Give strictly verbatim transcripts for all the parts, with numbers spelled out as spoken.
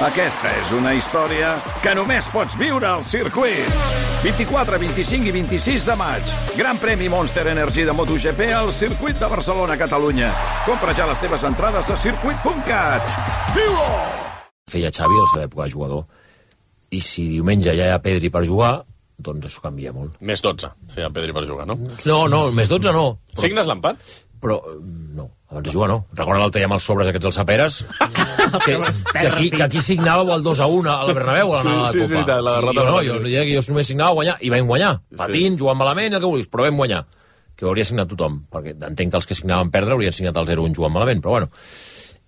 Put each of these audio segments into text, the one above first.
Aquesta és una història que només pots viure al circuit. vint-i-quatre, vint-i-cinc i vint-i-sis de maig. Gran premi Monster Energy de MotoGP al circuit de Barcelona, Catalunya. Compra ja les teves entrades a circuit punt cat. Viu-ho! Feia Xavi a la seva època de jugador. I si diumenge ja hi ha Pedri per jugar, doncs això canvia molt. Més dotze feia Pedri per jugar, no? No, no, més dotze no. Però... Signes l'empat? Però no, abans de jugar no. Recorda l'altre dia amb els sobres aquests als Saperes? que, que, aquí, que aquí signàveu el dos a un a la Bernabéu, a la, sí, la sí, Copa. És veritat, la derrota. Sí, jo, no, jo, jo, jo només signava guanyar, i vam guanyar. Patint, sí. Jugant malament, el que vulguis, però vam guanyar. Que ho hauria signat tothom, perquè entenc que els que signaven perdre haurien signat el zero un jugant malament, però bueno.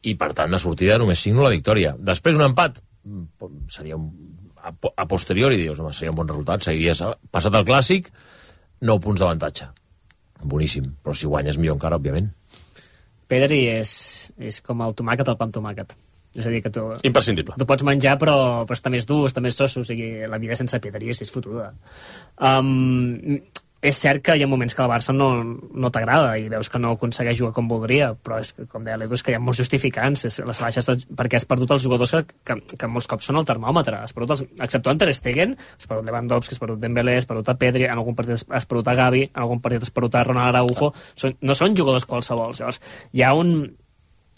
I per tant, de sortida només signo la victòria. Després un empat seria un... A, a posteriori, dius, home, seria un bon resultat. Seguiries passat el clàssic, nou punts d'avantatge. Boníssim, però si guanyes millor encara, òbviament. Pedri és, és com el tomàquet al pa amb tomàquet. És a dir, que tu... Imprescindible. Tu pots menjar, però, però està més dur, està més soso. O sigui, la vida sense Pedri és, és fotuda. Um, és cert que hi ha moments que el Barça no, no t'agrada i veus que no aconsegueix jugar com voldria, però és que, com deia l'Edu, és que hi ha molts justificants. És, les baixes, perquè has perdut els jugadors que, que, que molts cops són el termòmetre. Has perdut els, exceptuant Ter Stegen, has perdut Lewandowski, has perdut Dembélé, has perdut a Pedri, en algun partit has perdut a Gavi, en algun partit has perdut a Ronald Araujo. Són, no són jugadors qualsevol. Llavors, hi ha un...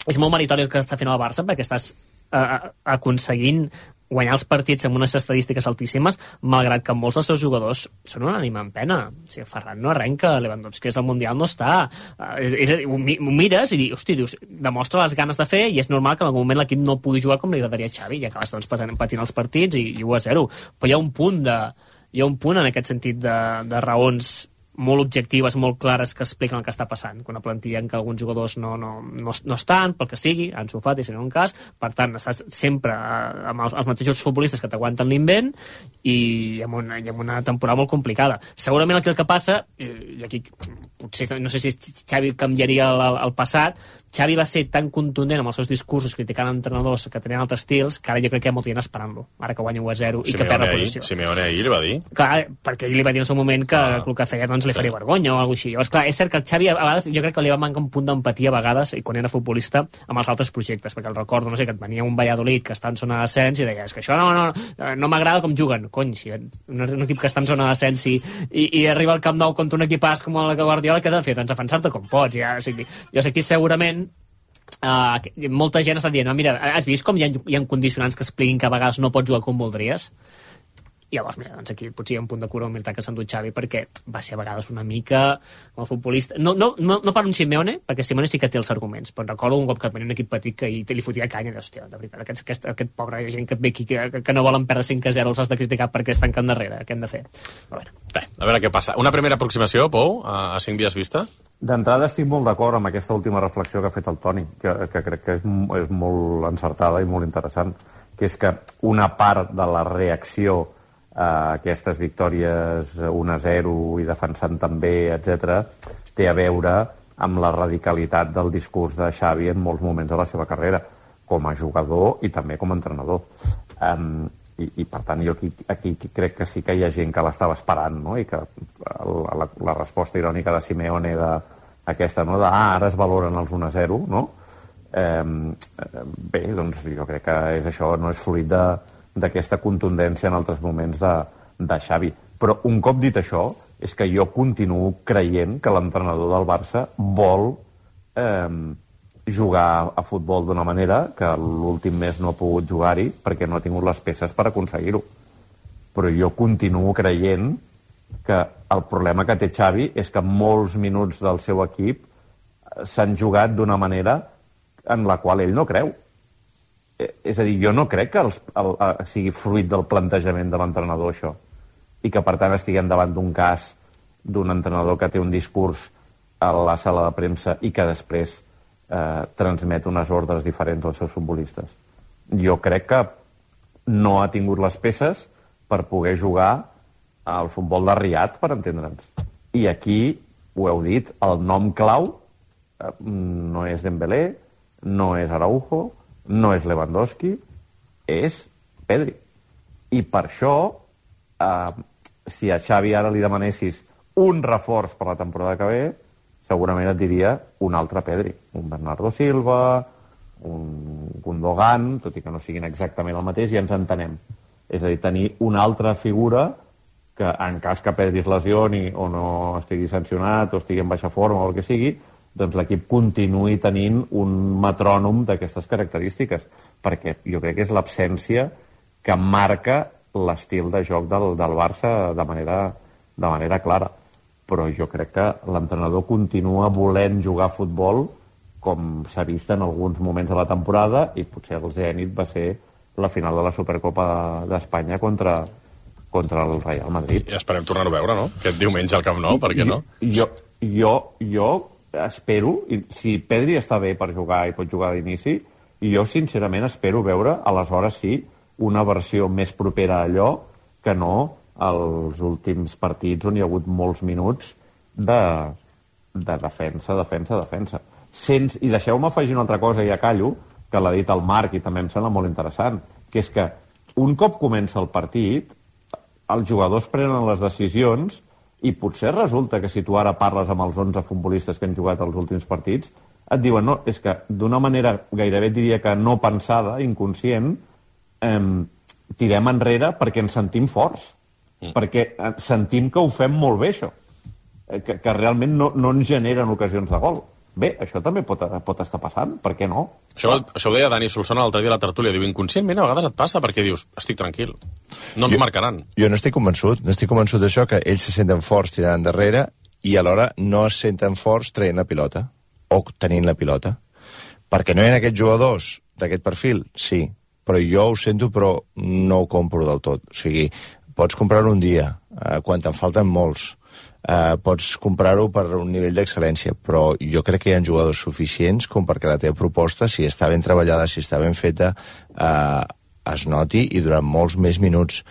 És molt meritori el que està fent el Barça, perquè estàs uh, aconseguint guanyar els partits amb unes estadístiques altíssimes, malgrat que molts dels seus jugadors són una ànima en pena. O sigui, Ferran no arrenca, Lewandowski és al Mundial, no està. Uh, és, és, ho, ho mires i dius, hosti, dius, demostra les ganes de fer i és normal que en algun moment l'equip no pugui jugar com li agradaria a Xavi i acabes doncs, patint, patint els partits i, i u a zero. Però hi ha un punt de, hi ha un punt en aquest sentit de, de raons molt objectives, molt clares, que expliquen el que està passant. Quan una plantilla en què alguns jugadors no, no, no, no estan, pel que sigui, han sofat i si no un cas, per tant, estàs sempre amb els, els mateixos futbolistes que t'aguanten l'invent i amb, una, i amb una temporada molt complicada. Segurament aquí el que passa, i aquí potser, no sé si Xavi canviaria el, el passat, Xavi va ser tan contundent amb els seus discursos criticant entrenadors que tenien altres estils que ara jo crec que hi ha molta gent esperant-lo, ara que guanya u a zero i que perd la posició. Simeone ahir li va dir. Clar, perquè ell li va dir en el seu moment que ah. el que feia doncs, li faria sí. vergonya o alguna cosa així. Llavors, clar, és cert que el Xavi a vegades jo crec que li va mancar un punt d'empatia a vegades i quan era futbolista amb els altres projectes, perquè el recordo, no sé, que et venia un Valladolid que està en zona d'ascens i deia, és que això no, no, no m'agrada com juguen. Cony, si un, un equip que està en zona d'ascens i, i, i arriba al Camp Nou contra un equipàs com el Guardiola, què t'ha de fer? Doncs defensar-te com pots. Ja, o sigui, jo sé que segurament Uh, molta gent està dient, no, mira, has vist com hi ha, hi ha condicionants que expliquin que a vegades no pots jugar com voldries? I llavors, mira, doncs aquí potser hi ha un punt de cura humilitat que s'ha endut Xavi perquè va ser a vegades una mica com a futbolista, no, no, no, no per un Simeone, perquè Simeone sí que té els arguments, però recordo un cop que venia un equip petit que li fotia canya i dius, hòstia, de veritat, aquest, aquest, aquest pobre gent que et ve aquí que, que no volen perdre cinc a zero els has de criticar perquè estan can darrere, què hem de fer? Però bueno. Bé, a veure què passa. Una primera aproximació, Pou, a, a cinc dies vista? D'entrada estic molt d'acord amb aquesta última reflexió que ha fet el Toni, que, que crec que és, és molt encertada i molt interessant, que és que una part de la reacció a aquestes victòries un a zero i defensant també, etcètera, té a veure amb la radicalitat del discurs de Xavi en molts moments de la seva carrera, com a jugador i també com a entrenador. Um, i, i per tant jo aquí, aquí crec que sí que hi ha gent que l'estava esperant, no? I que la, la, la resposta irònica de Simeone de, aquesta, no? de ah, ara es valoren els un a zero, no? Um, bé, doncs jo crec que és això, no és fruit de d'aquesta contundència en altres moments de, de Xavi. Però un cop dit això, és que jo continuo creient que l'entrenador del Barça vol eh, jugar a futbol d'una manera que l'últim mes no ha pogut jugar-hi perquè no ha tingut les peces per aconseguir-ho. Però jo continuo creient que el problema que té Xavi és que molts minuts del seu equip s'han jugat d'una manera en la qual ell no creu. És a dir, jo no crec que els, el, el, sigui fruit del plantejament de l'entrenador, això. I que, per tant, estiguem davant d'un cas d'un entrenador que té un discurs a la sala de premsa i que després eh, transmet unes ordres diferents als seus futbolistes. Jo crec que no ha tingut les peces per poder jugar al futbol de Riad, per entendre'ns. I aquí, ho heu dit, el nom clau eh, no és Dembélé, no és Araujo, no és Lewandowski, és Pedri. I per això, eh, si a Xavi ara li demanessis un reforç per la temporada que ve, segurament et diria un altre Pedri. Un Bernardo Silva, un Gundogan, tot i que no siguin exactament el mateix, i ens entenem. És a dir, tenir una altra figura que en cas que Pedri es lesioni o no estigui sancionat o estigui en baixa forma o el que sigui, doncs l'equip continuï tenint un metrònom d'aquestes característiques, perquè jo crec que és l'absència que marca l'estil de joc del, del Barça de manera, de manera clara. Però jo crec que l'entrenador continua volent jugar a futbol com s'ha vist en alguns moments de la temporada, i potser el zènit va ser la final de la Supercopa d'Espanya contra, contra el Real Madrid. I esperem tornar-ho a veure, no? Aquest diumenge al Camp Nou, per què no? Jo, jo, jo espero, si Pedri està bé per jugar i pot jugar d'inici, jo sincerament espero veure, aleshores sí, una versió més propera a allò que no als últims partits on hi ha hagut molts minuts de, de defensa, defensa, defensa. Sense, i deixeu-me afegir una altra cosa, i ja callo, que l'ha dit el Marc i també em sembla molt interessant, que és que un cop comença el partit, els jugadors prenen les decisions i potser resulta que si tu ara parles amb els onze futbolistes que han jugat els últims partits, et diuen, no, és que d'una manera gairebé diria que no pensada, inconscient, eh, tirem enrere perquè ens sentim forts, mm. perquè sentim que ho fem molt bé, això, que, que realment no, no ens generen ocasions de gol. Bé, això també pot, pot estar passant, per què no? Això, això ho deia Dani Solsona l'altre dia a la tertúlia, diu, inconscientment a vegades et passa perquè dius, estic tranquil, no ens jo, marcaran. Jo no estic convençut, no estic convençut d'això, que ells se senten forts tirant endarrere i alhora no es senten forts traient la pilota, o tenint la pilota. Perquè no hi ha aquests jugadors d'aquest perfil, sí, però jo ho sento, però no ho compro del tot. O sigui, pots comprar-ho un dia, eh, quan te'n falten molts, Uh, pots comprar-ho per un nivell d'excel·lència, però jo crec que hi ha jugadors suficients com perquè la teva proposta, si està ben treballada, si està ben feta, uh, es noti i durant molts més minuts.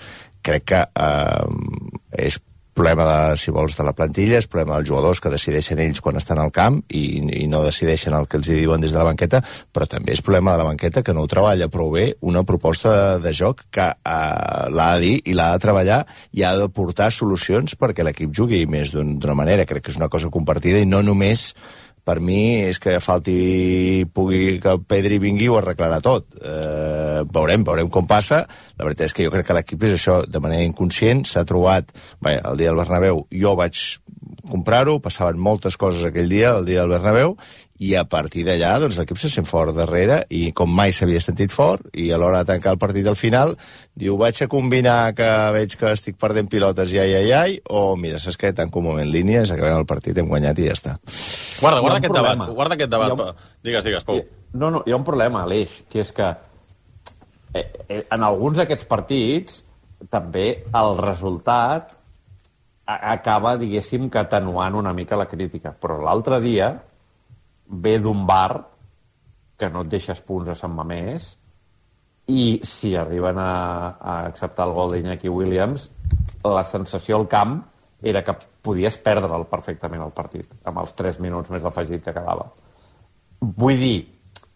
Crec que uh, és problema, de, si vols, de la plantilla, és problema dels jugadors que decideixen ells quan estan al camp i, i no decideixen el que els diuen des de la banqueta, però també és problema de la banqueta que no ho treballa prou bé una proposta de, de joc que uh, l'ha de dir i l'ha de treballar i ha de portar solucions perquè l'equip jugui més d'una manera. Crec que és una cosa compartida i no només, per mi, és que falti, pugui que Pedri vingui i ho arreglarà tot. Eh, veurem, veurem com passa. La veritat és que jo crec que l'equip és això, de manera inconscient, s'ha trobat... Bé, el dia del Bernabéu jo vaig comprar-ho, passaven moltes coses aquell dia, el dia del Bernabéu, i a partir d'allà doncs, l'equip se sent fort darrere i com mai s'havia sentit fort, i a l'hora de tancar el partit al final diu, vaig a combinar que veig que estic perdent pilotes i ai, ai, ai, o mira, saps què, tanco un moment línies, acabem el partit, hem guanyat i ja està. Guarda, guarda aquest problema. debat, guarda aquest debat. Un... Digues, digues, Pau. No, no, hi ha un problema, Aleix, que és que eh, eh, en alguns d'aquests partits també el resultat acaba, diguéssim, que atenuant una mica la crítica, però l'altre dia ve d'un bar que no et deixes punts a Sant Mamés i si arriben a, a acceptar el gol d'Iñaki Williams, la sensació al camp era que podies perdre'l perfectament el partit, amb els tres minuts més afegit que quedava. Vull dir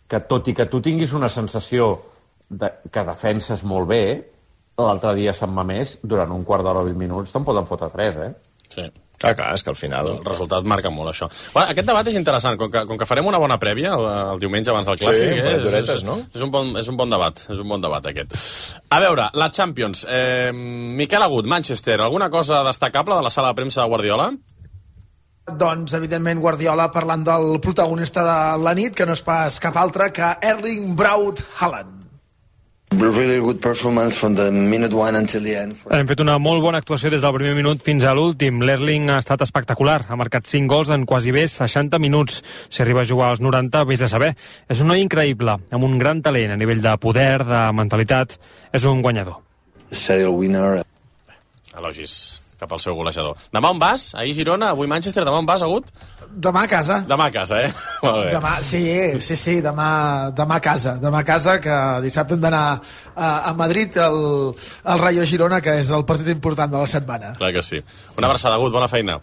que tot i que tu tinguis una sensació de, que defenses molt bé, l'altre dia a Sant Mamés, durant un quart d'hora o vint minuts, te'n poden fotre tres, eh? Sí. Clar, clar, és que al final... El resultat marca molt, això. Bueno, aquest debat és interessant. Com que, com que farem una bona prèvia el, el diumenge abans del Clàssic... Sí, eh, duretes, és, no? És un, bon, és un bon debat, és un bon debat, aquest. A veure, la Champions. Eh, Miquel Agut, Manchester, alguna cosa destacable de la sala de premsa de Guardiola? Doncs, evidentment, Guardiola parlant del protagonista de la nit, que no és pas cap altre que Erling Braut Haaland. Really good performance from the minute one until the end. Hem fet una molt bona actuació des del primer minut fins a l'últim. L'Erling ha estat espectacular. Ha marcat cinc gols en quasi bé seixanta minuts. Si arriba a jugar als noranta, vés a saber. És un noi increïble, amb un gran talent a nivell de poder, de mentalitat. És un guanyador. Serial winner. Elogis cap al seu golejador. Demà on vas? Ahir Girona, avui Manchester. Demà on vas, Agut? Demà a casa. Demà a casa, eh? Molt bé. Demà, sí, sí, sí, demà, demà a casa. Demà a casa, que dissabte hem d'anar a, a Madrid, el, el Rayo Girona, que és el partit important de la setmana. Clar que sí. Una abraçada, Agut, bona feina.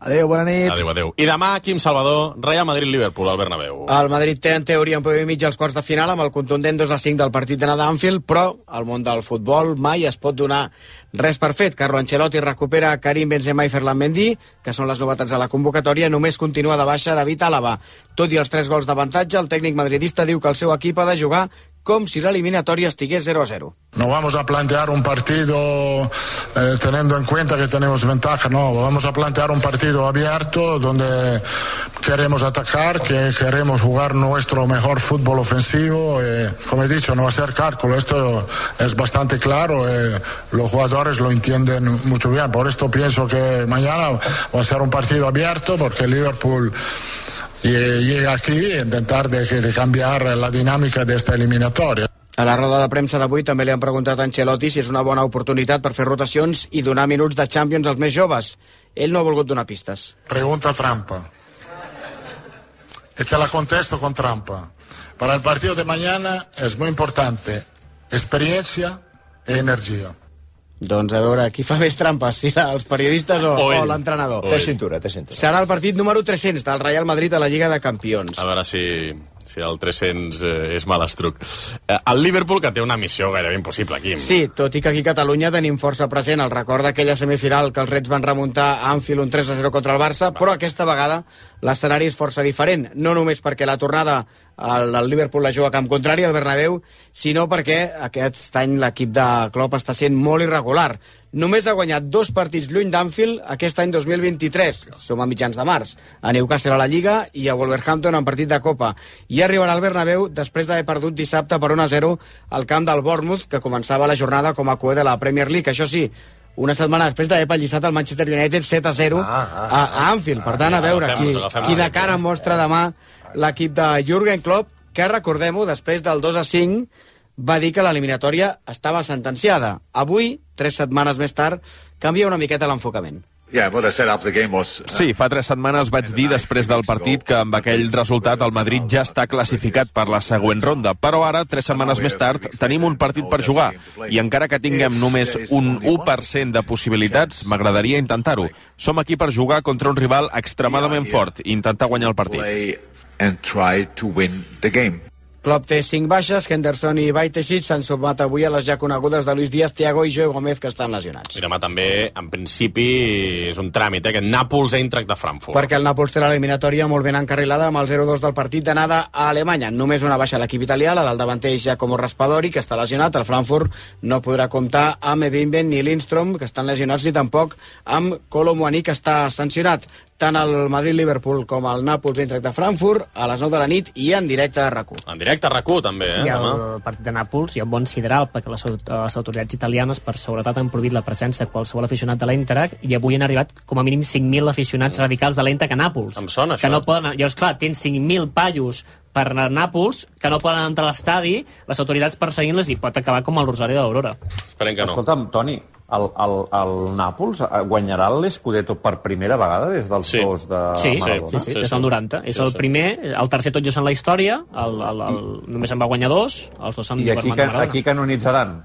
Adéu, bona nit. Adéu, adéu. I demà, Quim Salvador, Real Madrid-Liverpool, al Bernabéu. El Madrid té, en teoria, un peu i mig als quarts de final amb el contundent dos a cinc del partit d'anada a Anfield, però al món del futbol mai es pot donar res per fet. Carlo Ancelotti recupera Karim Benzema i Ferland Mendy, que són les novetats de la convocatòria. Només continua de baixa David Álava. Tot i els tres gols d'avantatge, el tècnic madridista diu que el seu equip ha de jugar com si la eliminatoria estigués cero a cero. No vamos a plantear un partido eh, teniendo en cuenta que tenemos ventaja, no, vamos a plantear un partido abierto donde queremos atacar, que queremos jugar nuestro mejor fútbol ofensivo. Eh, como he dicho, no va a ser cálculo, esto es bastante claro, eh, los jugadores lo entienden mucho bien, por esto pienso que mañana va a ser un partido abierto porque el Liverpool llega aquí a intentar de, de cambiar la dinámica de esta eliminatoria. A la roda de premsa d'avui també li han preguntat a Ancelotti si és una bona oportunitat per fer rotacions i donar minuts de Champions als més joves. Ell no ha volgut donar pistes. Pregunta trampa. Y te la contesto con trampa. Para el partido de mañana es muy importante experiencia e energía. Doncs a veure, qui fa més trampes, si els periodistes o, o, o l'entrenador? Té cintura, té cintura. Serà el partit número tres-cents del Real Madrid a la Lliga de Campions. A veure si, si el tres-cents eh, és malastruc. Eh, el Liverpool, que té una missió gairebé impossible, Quim. Sí, tot i que aquí a Catalunya tenim força present el record d'aquella semifinal que els Reds van remuntar a Anfield un tres a zero contra el Barça, però aquesta vegada l'escenari és força diferent, no només perquè la tornada el, el Liverpool la juga a camp contrari al Bernabéu, sinó perquè aquest any l'equip de Klopp està sent molt irregular. Només ha guanyat dos partits lluny d'Anfield aquest any dos mil vint-i-tres, som a mitjans de març, a Newcastle a la Lliga i a Wolverhampton en partit de Copa, i arribarà al Bernabéu després d'haver perdut dissabte per un a zero al camp del Bournemouth, que començava la jornada com a coer de la Premier League. Això sí, una setmana després d'haver pallissat el Manchester United set a zero ah, ah, a, a Anfield. Per tant, a veure qui, quina cara mostra demà l'equip de Jürgen Klopp, que, recordem-ho, després del dos a cinc va dir que l'eliminatòria estava sentenciada. Avui, tres setmanes més tard, canvia una miqueta l'enfocament. Sí, fa tres setmanes vaig dir després del partit que amb aquell resultat el Madrid ja està classificat per la següent ronda, però ara, tres setmanes més tard, tenim un partit per jugar i encara que tinguem només un u per cent de possibilitats, m'agradaria intentar-ho. Som aquí per jugar contra un rival extremadament fort i intentar guanyar el partit. Klopp té cinc baixes, Henderson i Bajcetic s'han sumat avui a les ja conegudes de Luis Díaz, Thiago i Joe Gómez, que estan lesionats. I demà també, en principi, és un tràmit, eh, aquest Nàpols-Eintracht de Frankfurt. Perquè el Nàpols té l'eliminatòria molt ben encarrilada amb el zero dos del partit d'anada a Alemanya. Només una baixa a l'equip italià, la del davanter Giacomo Raspadori, que està lesionat. El Frankfurt no podrà comptar amb Ebimben ni Lindstrom, que estan lesionats, ni tampoc amb Kolo Muani, que està sancionat. Tant el Madrid-Liverpool com el Nàpols-Eintracht de Frankfurt a les nou de la nit i en directe a RAC u. En directe a RAC u, també, eh? I el partit de Nàpols hi ha un bon sideral, perquè les, les autoritats italianes per seguretat han prohibit la presència de qualsevol aficionat de l'Eintracht i avui han arribat com a mínim cinc mil aficionats mm. radicals de l'Eintracht a Nàpols. Em sona, que això. No poden, llavors, clar, tens cinc mil pallos per anar a Nàpols, que no poden entrar a l'estadi, les autoritats perseguint-les i pot acabar com el Rosari d'Aurora. Esperem que no. Escolta'm, Toni, el, el, el Nàpols guanyarà l'Scudetto per primera vegada des dels sí. dos de sí, Maradona? Sí, sí, sí, des del noranta. Sí, és el sí. primer, el tercer tot just en la història, el, el, el, només en va guanyar dos, els dos amb I aquí, can, aquí canonitzaran?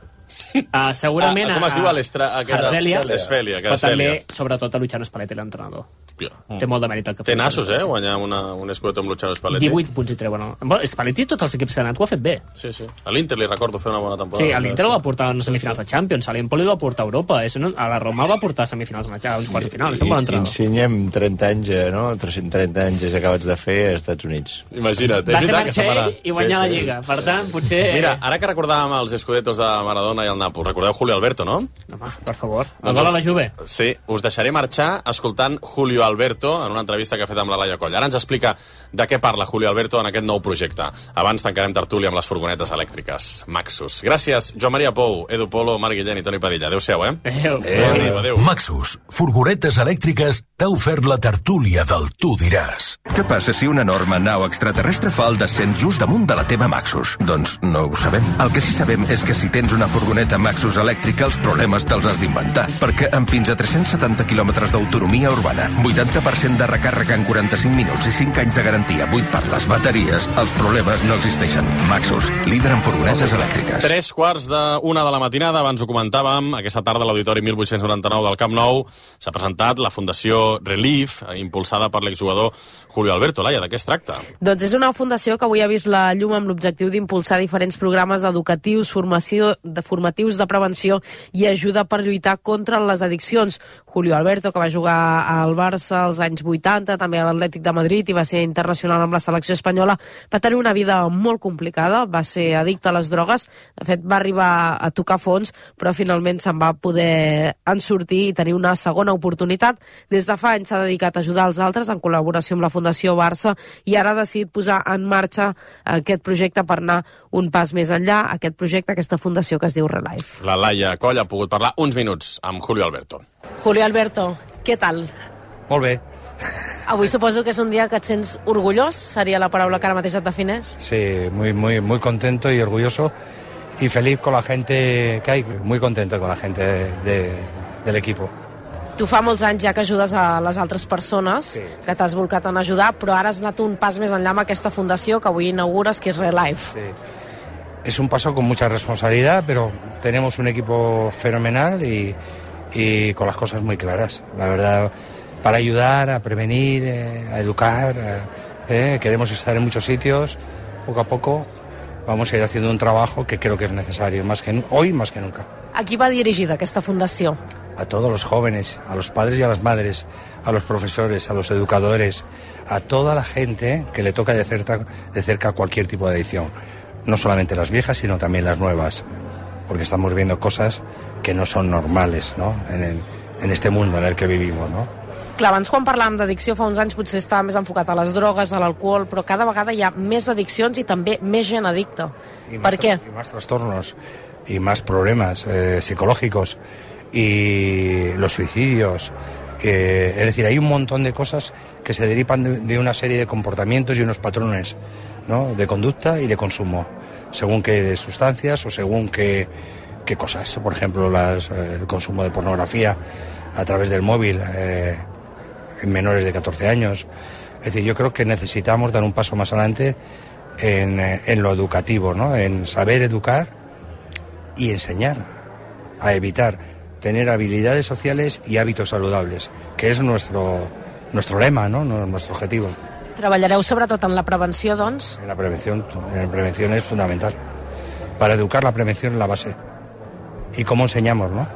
Uh, segurament ah, com es diu l'Esfèlia, però també, sobretot, a Luciano Spalletti, l'entrenador. Mm. Té molt de mèrit el que té nassos, eh, guanyar una, un Scudetto amb Luciano Spalletti. divuit punts i treuen. Bueno, Spalletti, tots els equips que han anat ho ha fet bé. Sí, sí. A l'Inter li recordo fer una bona temporada. Sí, a l'Inter el va portar a unes semifinals de Champions, a l'Empoli el va portar a Europa, a la Roma el va portar a semifinals, a uns quarts de final. És un bon entrenador. Insigne amb trenta anys, no? tres-cents trenta anys acabats de fer als Estats Units. Imagina't. Va ser marxar ell i guanyar sí, sí. la Lliga. Per tant, potser... Mira, ara que recordàvem els Scudettos de Maradona i el Nàpols, recordeu Julio Alberto, no? Home, per favor. El gol a la Juve. Sí, us deixaré marxar escoltant Julio Alberto en una entrevista que ha fet amb la Laia Coll. Ara ens explica de què parla Julio Alberto en aquest nou projecte. Abans tancarem tertúlia amb les furgonetes elèctriques Maxus. Gràcies, Joan Maria Pou, Edu Polo, Marc Guillén i Toni Padilla. Adéu-siau, eh? Adéu. Adéu. Adéu. Maxus, furgonetes elèctriques, t'ha ofert la tertúlia del Tu diràs. Què passa si una enorme nau extraterrestre fa el descens just damunt de la teva Maxus? Doncs no ho sabem. El que sí sabem és que si tens una furgoneta furgoneta Maxus elèctrica els problemes te'ls has d'inventar, perquè amb fins a tres-cents setanta quilòmetres d'autonomia urbana, vuitanta per cent de recàrrega en quaranta-cinc minuts i cinc anys de garantia buit per les bateries, els problemes no existeixen. Maxus, líder en furgonetes elèctriques. Tres quarts d'una de la matinada, abans ho comentàvem, aquesta tarda a l'Auditori mil vuit-cents noranta-nou del Camp Nou s'ha presentat la Fundació Relief, impulsada per l'exjugador Julio Alberto. Laia, de què es tracta? Doncs és una fundació que avui ha vist la llum amb l'objectiu d'impulsar diferents programes educatius, formació, de formatius de prevenció i ajuda per lluitar contra les addiccions. Julio Alberto, que va jugar al Barça als anys vuitanta, també a l'Atlètic de Madrid i va ser internacional amb la selecció espanyola, va tenir una vida molt complicada, va ser addicte a les drogues, de fet va arribar a tocar fons, però finalment se'n va poder en sortir i tenir una segona oportunitat. Des de fa anys s'ha dedicat a ajudar els altres en col·laboració amb la Fundació Barça i ara ha decidit posar en marxa aquest projecte per anar un pas més enllà, aquest projecte, aquesta fundació que es diu Relife. La Laia Coll ha pogut parlar uns minuts amb Julio Alberto. Julio Alberto, què tal? Molt bé. Avui suposo que és un dia que et sents orgullós, seria la paraula que ara mateix et defineix. Sí, muy, muy, muy contento y orgulloso y feliz con la gente que hay, muy contento con la gente de, de, del equipo. Tu fa molts anys ja que ajudes a les altres persones, sí, que t'has volcat en ajudar, però ara has anat un pas més enllà amb aquesta fundació que avui inaugures, que és Relife. Sí. Es un paso con mucha responsabilidad, pero tenemos un equipo fenomenal y, y con las cosas muy claras. La verdad, para ayudar, a prevenir, eh, a educar, eh, queremos estar en muchos sitios, poco a poco vamos a ir haciendo un trabajo que creo que es necesario, más que hoy más que nunca. A qui va dirigida aquesta fundació? A todos los jóvenes, a los padres y a las madres, a los profesores, a los educadores, a toda la gente que le toca de cerca, de cerca cualquier tipo de adicción. No solamente las viejas, sino también las nuevas, porque estamos viendo cosas que no son normales, ¿no? En, el, en este mundo en el que vivimos, ¿no? Clar, abans quan parlàvem d'addicció fa uns anys potser estava més enfocat a les drogues, a l'alcohol, però cada vegada hi ha més addiccions i també més gent addicta. Per què? Y más trastornos y más problemas eh, psicológicos y los suicidios. Eh, es decir, hay un montón de cosas que se derivan de, de una serie de comportamientos y unos patrones, ¿no? De conducta y de consumo, según qué sustancias o según qué, qué cosas. Por ejemplo, las, eh, el consumo de pornografía a través del móvil eh, en menores de catorce años. Es decir, yo creo que necesitamos dar un paso más adelante en, en lo educativo, ¿no? En saber educar y enseñar a evitar, tener habilidades sociales y hábitos saludables, que es nuestro, nuestro lema, ¿no? Nuestro objetivo. Treballareu sobretot en la prevenció, doncs? En la prevención, en la prevención es fundamental. Para educar, la prevención es la base. ¿Y cómo enseñamos, no?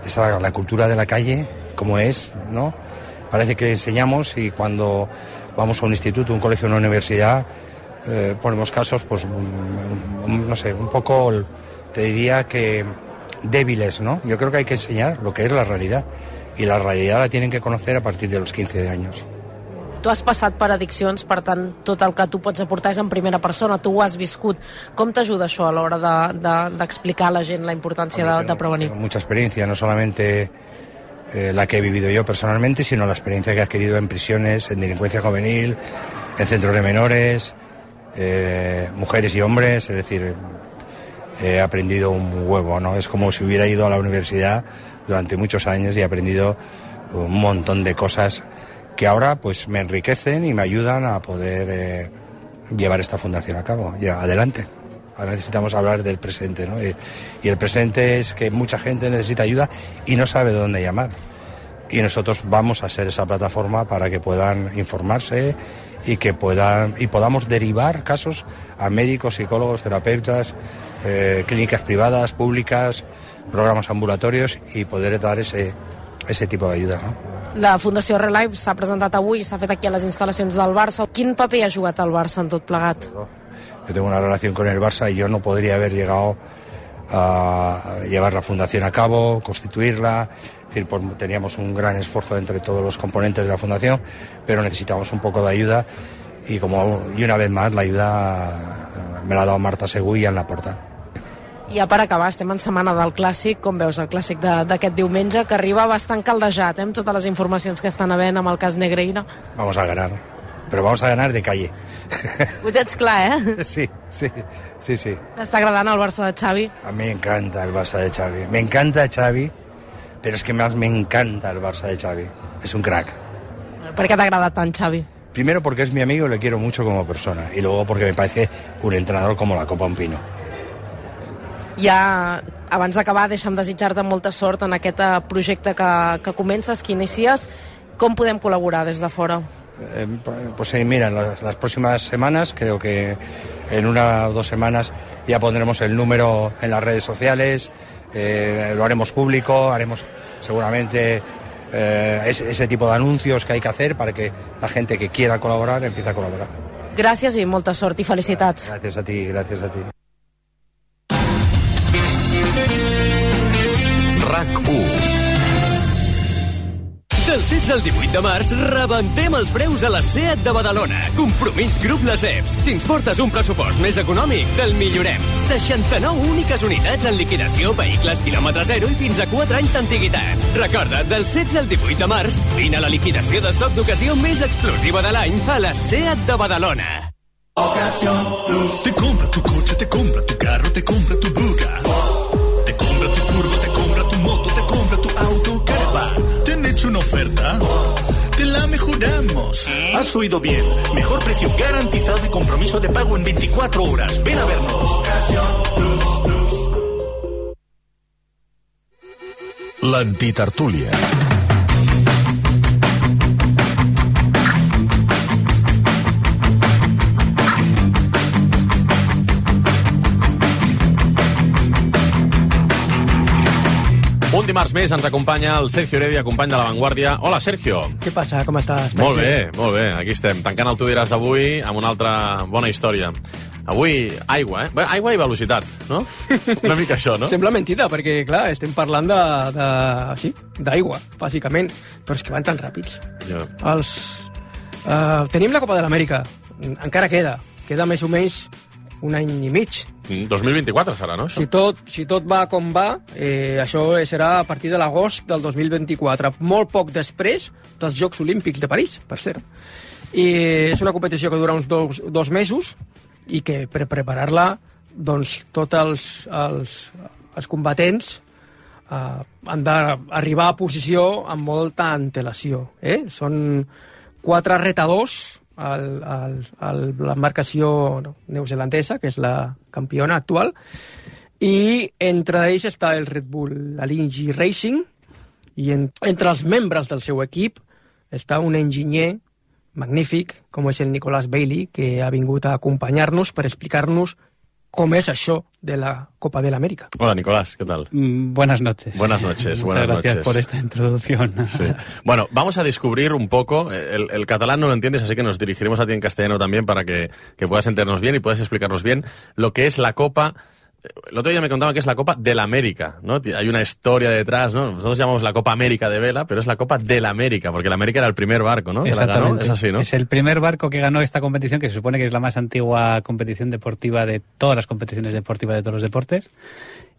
Esa, la cultura de la calle, cómo es, ¿no? Parece que enseñamos y cuando vamos a un instituto, un colegio, una universidad, eh, ponemos casos, pues, un, un, no sé, un poco, te diría que débiles, ¿no? Yo creo que hay que enseñar lo que es la realidad. Y la realidad la tienen que conocer a partir de los quince años. Tu has passat per addiccions, per tant, tot el que tu pots aportar és en primera persona, tu ho has viscut. Com t'ajuda això a l'hora d'explicar de, de, a la gent la importància de, de prevenir? Tengo mucha experiencia, no solamente eh, la que he vivido yo personalmente, sino la experiencia que he adquirido en prisiones, en delincuencia juvenil, en centros de menores, eh, mujeres y hombres, es decir, he aprendido un huevo, ¿no? Es como si hubiera ido a la universidad durante muchos años y he aprendido un montón de cosas que ahora pues me enriquecen y me ayudan a poder eh, llevar esta fundación a cabo. Ya, adelante. Ahora necesitamos hablar del presente, ¿no? Y, y el presente es que mucha gente necesita ayuda y no sabe dónde llamar. Y nosotros vamos a ser esa plataforma para que puedan informarse y que puedan y podamos derivar casos a médicos, psicólogos, terapeutas, eh, clínicas privadas, públicas, programas ambulatorios y poder dar ese, ese tipo de ayuda, ¿no? La Fundació Relife s'ha presentat avui, s'ha fet aquí a les instal·lacions del Barça. Quin paper ha jugat el Barça en tot plegat? Yo tengo una relación con el Barça y yo no podría haber llegado a llevar la fundación a cabo, constituirla. Es decir, pues teníamos un gran esfuerzo entre todos los componentes de la fundación, pero necesitamos un poco de ayuda y, como, y una vez más la ayuda me l'ha dado Marta Segú i en la porta. I ja per acabar, estem en setmana del Clàssic. Com veus el Clàssic d'aquest diumenge, que arriba bastant caldejat, eh, amb totes les informacions que estan havent amb el cas Negreira? Vamos a ganar. pero vamos a ganar de calle. Ho tens clar, eh? Sí, sí, sí, sí. T'està agradant el Barça de Xavi? A mí me encanta el Barça de Xavi. Me encanta Xavi, pero es que más me encanta el Barça de Xavi. Es un crack. Per què t'ha agradat tant Xavi? Primero porque es mi amigo y le quiero mucho como persona. Y luego porque me parece un entrenador como la copa un pino. Ja, abans d'acabar, deixa'm desitjar-te molta sort en aquest projecte que, que comences, que inicies. Com podem col·laborar des de fora? Eh, pues eh, mira, en las, las próximas semanas, creo que en una o dos semanas ya pondremos el número en las redes sociales, eh, lo haremos público, haremos seguramente eh, ese, ese tipo de anuncios que hay que hacer para que la gente que quiera colaborar empiece a colaborar. Gràcies i molta sort i felicitats. Gràcies a ti, gràcies a ti. RAC u. Del setze al divuit de març rebentem els preus a la SEAT de Badalona. Compromís Grup Les Eps. Si ens portes un pressupost més econòmic, te'l millorem. seixanta-nou úniques unitats en liquidació, vehicles quilòmetre zero i fins a quatre anys d'antiguitat. Recorda, del setze al divuit de març, vine a la liquidació d'estoc d'ocasió més explosiva de l'any a la SEAT de Badalona. Ocasión Plus. Te compra tu coche, te compra tu carro, te compra tu buga. Te compra tu furgo, te compra tu moto, te compra tu auto, caravan. ¿Te han hecho una oferta? Te la mejoramos. Has oído bien. Mejor precio garantizado y compromiso de pago en veinticuatro horas. Ven a vernos. Ocasión Plus, Plus. L'antitertúlia. Un dimarts més ens acompanya el Sergio Heredia, company de La Vanguardia. Hola, Sergio. Què passa? Com estàs? Molt bé, molt bé. Aquí estem, tancant el Tu diràs d'avui amb una altra bona història. Avui, aigua, eh? Bé, aigua i velocitat, no? Una mica això, no? Sembla mentida, perquè, clar, estem parlant de, de, sí, d'aigua, bàsicament, però és que van tan ràpids. Ja. Els, uh, tenim la Copa de l'Amèrica, encara queda, queda més o menys un any i mig. dos mil vint-i-quatre serà, no? Si tot, si tot va com va, eh, això serà a partir de l'agost del dos mil vint-i-quatre, molt poc després dels Jocs Olímpics de París, per cert. I és una competició que dura uns dos, dos mesos i que per preparar-la, doncs, tots els, els, els combatents eh, han d'arribar a posició amb molta antelació. Eh? Són quatre retadors al, al, al, l'embarcació neozelandesa, que és la campiona actual, i entre ells està el Red Bull Alinghi Racing, i en, entre els membres del seu equip està un enginyer magnífic, com és el Nicolás Bailey, que ha vingut a acompanyar-nos per explicar-nos cómo es això de la Copa de la América. Hola, Nicolás, ¿qué tal? Mm, buenas noches. Buenas noches, Muchas buenas gracias noches. por esta introducción. Sí. Bueno, vamos a descubrir un poco, el, el catalán no lo entiendes, así que nos dirigiremos a ti en castellano también para que, que puedas entendernos bien y puedas explicarnos bien lo que es la Copa. El otro día me contaban que es la Copa de la América, ¿no? Hay una historia detrás, ¿no? Nosotros llamamos la Copa América de vela, pero es la Copa de la América, porque la América era el primer barco, ¿no? Que la ganó. Es así, ¿no? Es el primer barco que ganó esta competición, que se supone que es la más antigua competición deportiva de todas las competiciones deportivas de todos los deportes.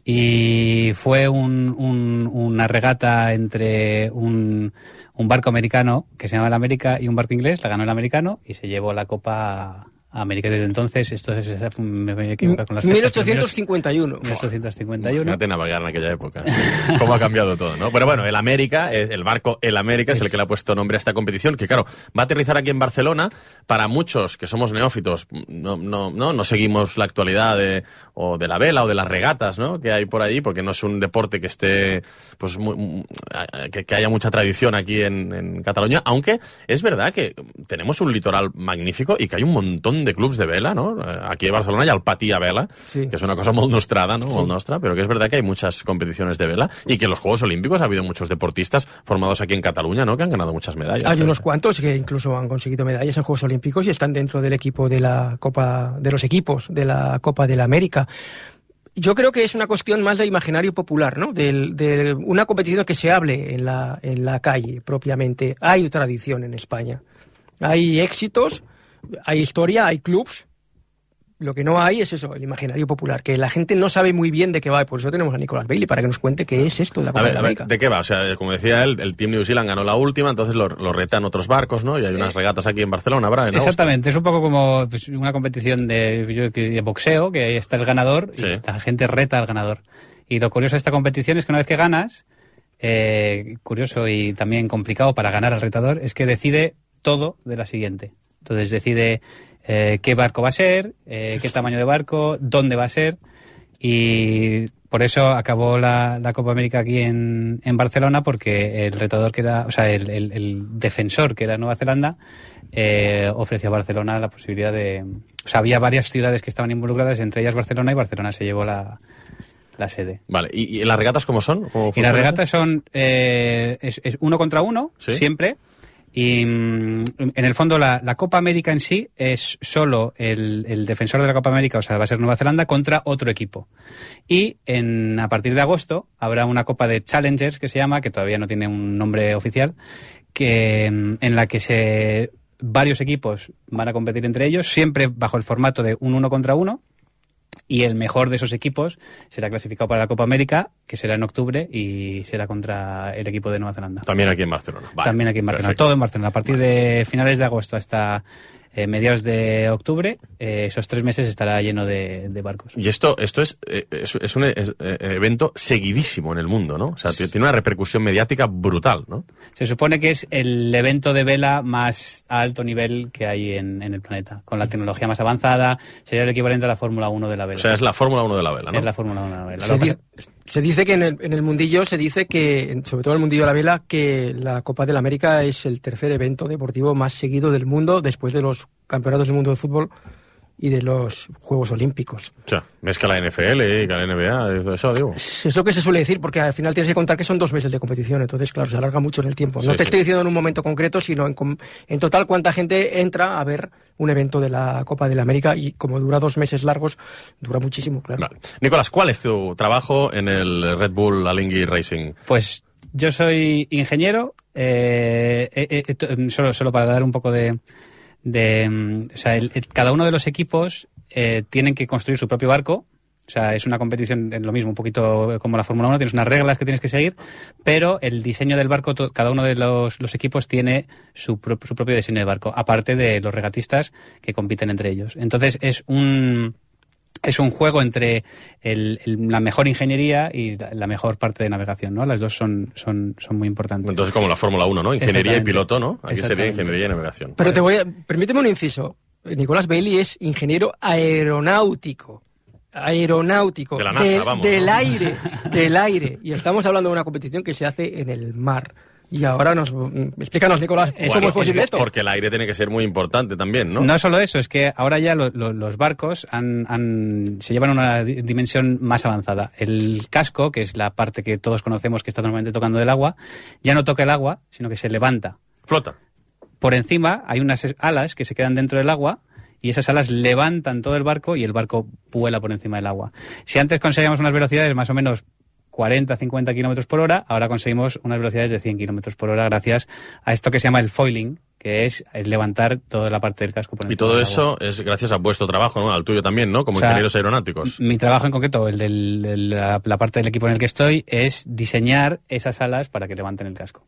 Y fue un, un, una regata entre un, un barco americano, que se llama el América, y un barco inglés. La ganó el americano y se llevó la Copa a América. Desde entonces, esto es, es, me voy a equivocar con las fechas. mil ochocientos cincuenta y uno. mil ochocientos cincuenta y uno. Imagínate navegar en aquella época. Cómo ha cambiado todo, ¿no? Pero bueno, el América, el barco El América es el que le ha puesto nombre a esta competición, que claro, va a aterrizar aquí en Barcelona. Para muchos que somos neófitos, no, no, no, no seguimos la actualidad de, o de la vela o de las regatas, ¿no? Que hay por ahí, porque no es un deporte que esté, pues, muy, que, que haya mucha tradición aquí en, en Cataluña, aunque es verdad que tenemos un litoral magnífico y que hay un montón de clubs de vela, ¿no? Aquí en Barcelona hi ha el Patí a vela, sí, que es una cosa molt nostrada, ¿no? Sí. Molt nostra, pero que es verdad que hay muchas competiciones de vela y que en los Juegos Olímpicos ha habido muchos deportistas formados aquí en Cataluña, ¿no? Que han ganado muchas medallas. Hay unos cuantos que incluso han conseguido medallas en Juegos Olímpicos y están dentro del equipo de la Copa, de los equipos de la Copa de la América. Yo creo que es una cuestión más de imaginario popular, ¿no? De, de una competición que se hable en la, en la calle propiamente. Hay tradición en España. Hay éxitos, hay historia, hay clubs. lo que no hay es eso, el imaginario popular, que la gente no sabe muy bien de qué va, y por eso tenemos a Nicolas Bailey, para que nos cuente qué es esto de la Copa A ver, de a ver, América. ¿de qué va? O sea, como decía él, el Team New Zealand ganó la última, entonces lo, lo retan otros barcos, ¿no? Y hay unas regatas aquí en Barcelona, ¿verdad? En Exactamente, es un poco como pues, una competición de, de boxeo, que ahí está el ganador y sí. La gente reta al ganador. Y lo curioso de esta competición es que una vez que ganas, eh, curioso y también complicado para ganar al retador, es que decide todo de la siguiente. Entonces decide eh, qué barco va a ser, eh, qué tamaño de barco, dónde va a ser, y por eso acabó la, la Copa América aquí en, en Barcelona, porque el retador que era, o sea, el, el, el defensor que era Nueva Zelanda, eh, ofreció a Barcelona la posibilidad de... O sea, había varias ciudades que estaban involucradas, entre ellas Barcelona, y Barcelona se llevó la... la sede. Vale, ¿y, y las regatas cómo son? ¿Cómo y las regatas son eh, es, es uno contra uno, ¿sí? Siempre, y mm, en el fondo la, la Copa América en sí es solo el, el defensor de la Copa América, o sea, va a ser Nueva Zelanda, contra otro equipo. Y en, a partir de agosto habrá una Copa de Challengers, que se llama, que todavía no tiene un nombre oficial, que en la que se varios equipos van a competir entre ellos, siempre bajo el formato de un uno contra uno, y el mejor de esos equipos será clasificado para la Copa América, que será en octubre, y será contra el equipo de Nueva Zelanda. También aquí en Barcelona. Vale, También aquí en Barcelona. Perfecto. Todo en Barcelona. A partir de finales de agosto hasta eh, mediados de octubre, eh, esos tres meses estará lleno de, de barcos. Y esto esto es, eh, es, es un es, eh, evento seguidísimo en el mundo, ¿no? O sea, tiene una repercusión mediática brutal, ¿no? Se supone que es el evento de vela más a alto nivel que hay en, en el planeta, con la tecnología más avanzada. Sería el equivalente a la Fórmula uno de la vela. O sea, es la Fórmula uno de la vela, ¿no? Es la Fórmula uno de la vela. Se, di se dice que en el, en el mundillo, se dice que, sobre todo en el mundillo de la vela, que la Copa de la América es el tercer evento deportivo más seguido del mundo, después de los campeonatos del mundo de fútbol y de los Juegos Olímpicos. O sea, més que la N F L y que la N B A, eso digo. Es lo que se suele decir, porque al final tienes que contar que son dos meses de competición, entonces, claro, se alarga mucho en el tiempo. No sí, te sí. estoy diciendo en un momento concreto, sino en, en total cuánta gente entra a ver un evento de la Copa de la América, y como dura dos meses largos, dura muchísimo, claro. Vale. Nicolás, ¿cuál es tu trabajo en el Red Bull Alinghi Racing? Pues yo soy ingeniero, eh, eh, eh, solo, solo para dar un poco de... de o sea, el, el, cada uno de los equipos eh, tienen que construir su propio barco. O sea, es una competición en lo mismo, un poquito como la Fórmula uno, tienes unas reglas que tienes que seguir, pero el diseño del barco, to, cada uno de los, los equipos tiene su, pro, su propio diseño de barco, aparte de los regatistas que compiten entre ellos. Entonces es un... Es un juego entre el, el, la mejor ingeniería y la, la mejor parte de navegación, ¿no? Las dos son, son, son muy importantes. Entonces, como la Fórmula uno, ¿no? Ingeniería y piloto, ¿no? Aquí sería ingeniería y navegación. Pero te voy a... Permíteme un inciso. Nicolas Bailey es ingeniero aeronáutico. Aeronáutico. De la NASA, de, vamos. Del ¿no? aire. Del aire. Y estamos hablando de una competición que se hace en el mar. Y ahora nos... Explícanos, Nicolás, ¿cómo bueno, es posible esto? Porque el aire tiene que ser muy importante también, ¿no? No solo eso, es que ahora ya lo, lo, los barcos han, han, se llevan a una dimensión más avanzada. El casco, que es la parte que todos conocemos que está normalmente tocando del agua, ya no toca el agua, sino que se levanta. Flota. Por encima hay unas alas que se quedan dentro del agua, y esas alas levantan todo el barco y el barco vuela por encima del agua. Si antes conseguíamos unas velocidades más o menos cuarenta a cincuenta kilómetros por hora, ahora conseguimos unas velocidades de cien kilómetros por hora gracias a esto que se llama el foiling, que es el levantar toda la parte del casco por encima. Y todo del eso agua. Es gracias a vuestro trabajo, ¿no? Al tuyo también, ¿no? Como o sea, ingenieros aeronáuticos. Mi trabajo en concreto, el de la, la parte del equipo en el que estoy, es diseñar esas alas para que levanten el casco.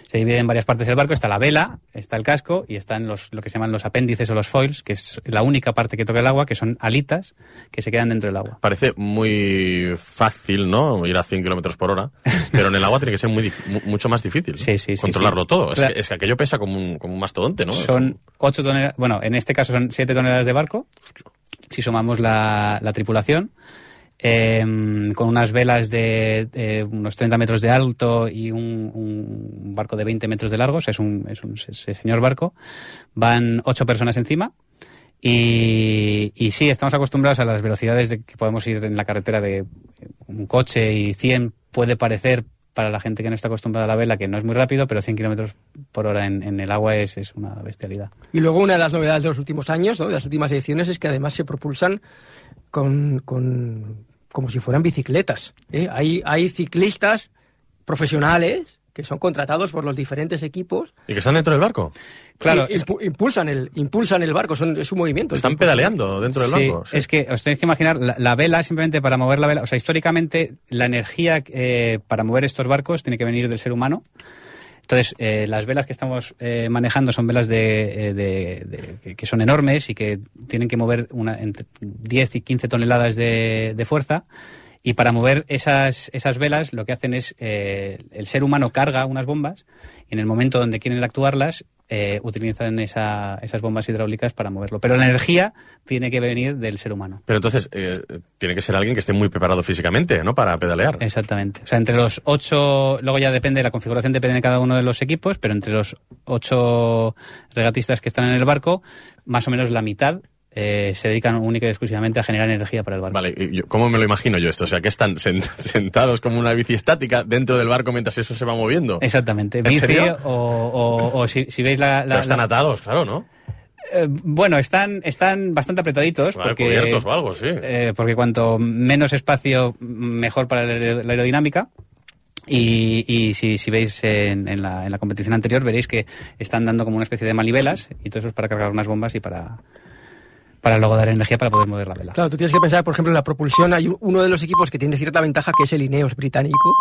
Se divide en varias partes el barco, está la vela, está el casco y están los, lo que se llaman los apéndices o los foils, que es la única parte que toca el agua, que son alitas que se quedan dentro del agua. Parece muy fácil, ¿no? Ir a cien kilómetros por hora, pero en el agua tiene que ser muy, mucho más difícil. Sí, sí, sí. Controlarlo sí. todo. Claro. Es, que, es que aquello pesa como un, como un mastodonte, ¿no? Son ocho toneladas, bueno, en este caso son siete toneladas de barco, si sumamos la, la tripulación. Eh, con unas velas de eh, unos treinta metros de alto y un, un barco de veinte metros de largo, o sea, es un, es un es señor barco. Van ocho personas encima y, y sí, estamos acostumbrados a las velocidades de que podemos ir en la carretera de un coche, y cien puede parecer para la gente que no está acostumbrada a la vela que no es muy rápido, pero cien kilómetros por hora en, en el agua es, es una bestialidad. Y luego una de las novedades de los últimos años, ¿no? De las últimas ediciones, es que además se propulsan con, con como si fueran bicicletas, ¿eh? Hay, hay ciclistas profesionales que son contratados por los diferentes equipos. ¿Y que están dentro del barco? Claro, impu impulsan, el, impulsan el barco, son, es un movimiento. Están pedaleando dentro del sí, barco. Sí, es que os tenéis que imaginar, la, la vela, simplemente para mover la vela, o sea, históricamente la energía eh, para mover estos barcos tiene que venir del ser humano. Entonces, eh, las velas que estamos eh, manejando son velas de, de, de, de, que son enormes y que tienen que mover una, entre diez y quince toneladas de, de fuerza. Y para mover esas, esas velas lo que hacen es, eh, el ser humano carga unas bombas y en el momento donde quieren actuarlas eh, utilizan esa, esas bombas hidráulicas para moverlo. Pero la energía tiene que venir del ser humano. Pero entonces eh, tiene que ser alguien que esté muy preparado físicamente, ¿no? Para pedalear. Exactamente. O sea, entre los ocho, luego ya depende, la configuración depende de cada uno de los equipos, pero entre los ocho regatistas que están en el barco, más o menos la mitad Eh, se dedican única y exclusivamente a generar energía para el barco. Vale, ¿y ¿cómo me lo imagino yo esto? O sea, que están sentados como una bici estática dentro del barco mientras eso se va moviendo. Exactamente. ¿En bici serio? O, o, o si, si veis la... la Pero están la... atados, claro, ¿no? Eh, bueno, están, están bastante apretaditos. Vale, porque, cubiertos o algo, sí. Eh, porque cuanto menos espacio, mejor para la aerodinámica. Y, y si, si veis en, en, la, en la competición anterior, veréis que están dando como una especie de manivelas y todo eso es para cargar unas bombas y para... para luego dar energía para poder mover la vela. Claro, tú tienes que pensar, por ejemplo, en la propulsión. Hay uno de los equipos que tiene cierta ventaja, que es el Ineos británico,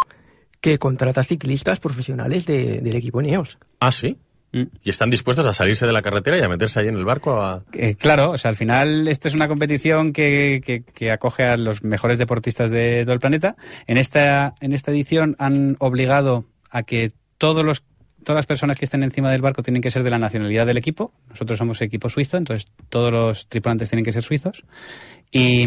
que contrata ciclistas profesionales de, del equipo Ineos. ¿Ah, sí? Mm. ¿Y están dispuestos a salirse de la carretera y a meterse ahí en el barco? A... Eh, claro, o sea, al final esta es una competición que, que, que acoge a los mejores deportistas de todo el planeta. En esta, en esta edición han obligado a que todos los Todas las personas que estén encima del barco tienen que ser de la nacionalidad del equipo. Nosotros somos equipo suizo, entonces todos los tripulantes tienen que ser suizos. Y,